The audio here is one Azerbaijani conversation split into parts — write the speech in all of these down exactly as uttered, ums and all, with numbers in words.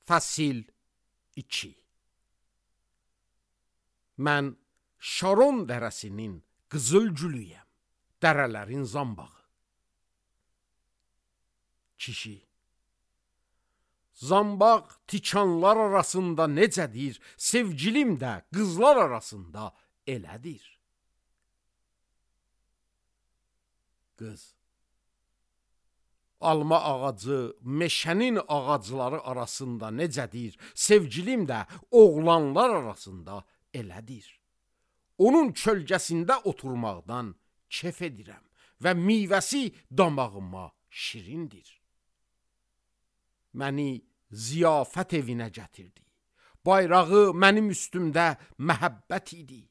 Fəsil iki. Mən Şaron dərəsinin qızıl gülüyəm, dərələrin zambağı. Kişi: Zambaq tikanlar arasında necədir, sevgilim də qızlar arasında elədir. Qız: Alma ağacı meşənin ağacları arasında necədir, sevgilim də oğlanlar arasında elədir. Onun kölgəsində oturmaqdan kef edirəm və meyvəsi damağıma şirindir. Məni ziyafət evinə gətirdi. Bayrağı mənim üstümdə məhəbbət idi.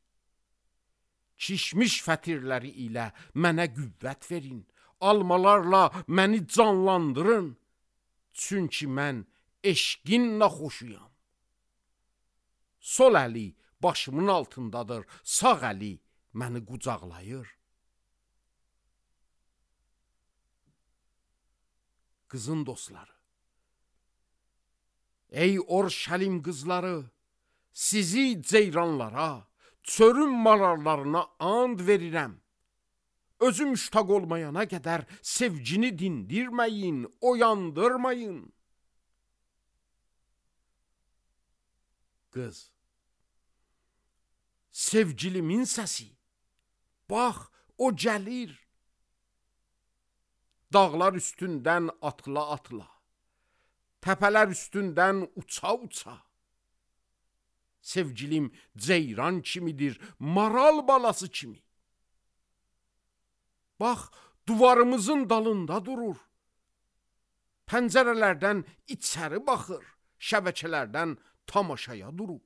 Kişmiş fətirləri ilə mənə qüvvət verin. Almalarla məni canlandırın. Çünki mən eşqinlə xoşuyam. Sol əli başımın altındadır, sağ əli məni qucaqlayır. Qızın dostları: Ey Orşəlim qızları, sizi ceyranlara, çörün mararlarına and verirəm. Özü müştaq olmayana qədər sevgini dindirməyin, oyandırmayın. Qız: Sevgilimin səsi, bax o gəlir. Dağlar üstündən atla-atla, təpələr üstündən uça-uça. Sevgilim ceyran kimidir, maral balası kimi. Bax, duvarımızın dalında durur. Pəncərələrdən içəri baxır, şəbəkələrdən tamaşaya durub.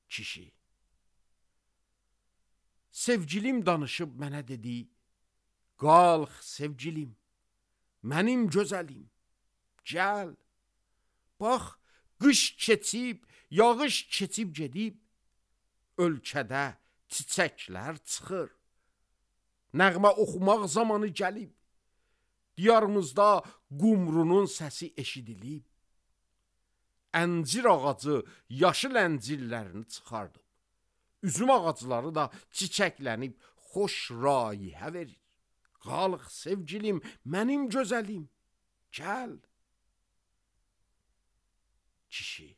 Kişi: Sevgilim danışıb mənə dedi, qalx sevgilim, mənim gözəlim, gəl. Bax, qış keçib, yağış keçib gedib, ölkədə çiçəklər çıxır. Nəğmə oxumaq zamanı gəlib, diyarımızda qumrunun səsi eşidilib. Əncir ağacı yaşıl əncirlərini çıxardıb. Üzüm ağacları da çiçəklənib xoş rayihə verir. Qalx sevgilim, mənim gözəlim, gəl. Kişi: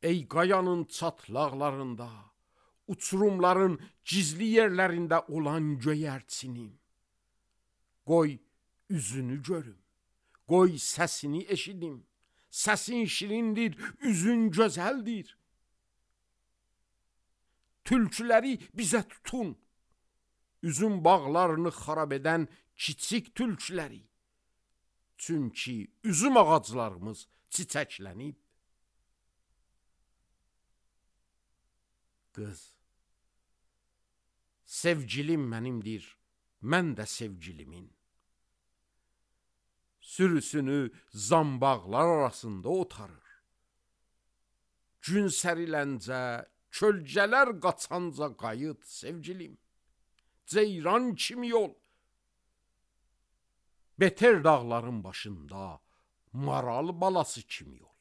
Ey qayanın çatlaqlarında, uçurumların gizli yerlərində olan göyərçinim, qoy üzünü görüm, qoy səsini eşidim. Səsin şirindir, üzün gözəldir. Tülküləri bizə tutun, üzüm bağlarını xarab edən kiçik tülküləri. Çünki üzüm ağaclarımız çiçəklənib. Qız: Sevgilim mənimdir, mən də sevgilimin. Sürüsünü zambaqlar arasında otarır. Gün səriləncə, kölgələr qaçanca qayıt sevgilim. Ceyran kimi yol. Beter dağların başında maral balası kimi yol.